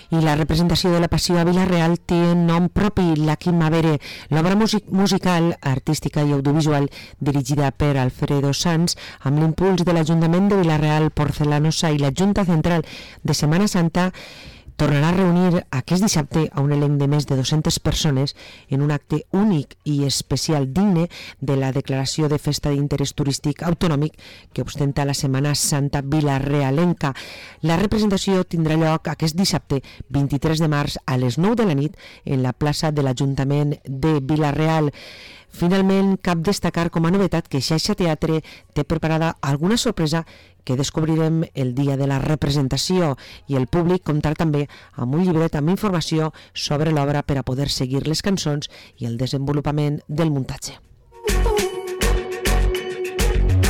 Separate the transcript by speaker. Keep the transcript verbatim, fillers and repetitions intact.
Speaker 1: I la representació de la Passió a Vila-real té nom propi, La Quimavere, l'obra musical, artística i audiovisual dirigida per Alfredo Sanz amb l'impuls de l'Ajuntament de Vila-real, Porcelanosa i la Junta Central de Setmana Santa, tornarà a reunir aquest dissabte a un elenc de més de dues-centes persones en un acte únic i especial digne de la declaració de festa d'interès turístic autonòmic que ostenta la Setmana Santa vilarealenca. La representació tindrà lloc aquest dissabte vint-i-tres de març a les nou de la nit en la plaça de l'Ajuntament de Vila-real. Finalment, cap destacar com a novetat que Xaixa Teatre té preparada alguna sorpresa que descobrirem el dia de la representació i el públic comptarà també amb un llibret amb informació sobre l'obra per a poder seguir les cançons i el desenvolupament del muntatge.